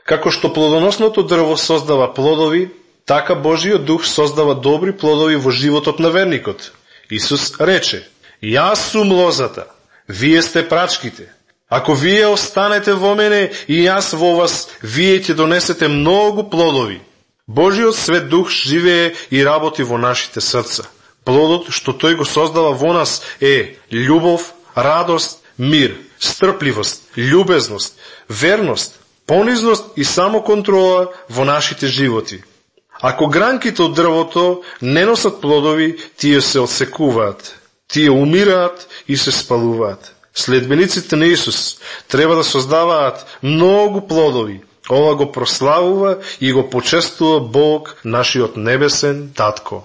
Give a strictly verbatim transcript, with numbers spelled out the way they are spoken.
Како што плодоносното дрво создава плодови, така Божиот дух создава добри плодови во животот на верникот. Исус рече: Јас сум лозата, вие сте прачките. Ако вие останете во мене и јас во вас, вие ќе донесете многу плодови. Божиот свет дух живее и работи во нашите срца. Плодот што тој го создава во нас е љубов, радост, мир, стрпливост, љубезност, верност, понизност и самоконтрола во нашите животи. Ако гранките од дрвото не носат плодови, тие се отсекуваат, тие умираат и се спалуваат. Следбениците на Исус треба да создаваат многу плодови. Ова го прославува и го почестува Бог, нашиот небесен Татко.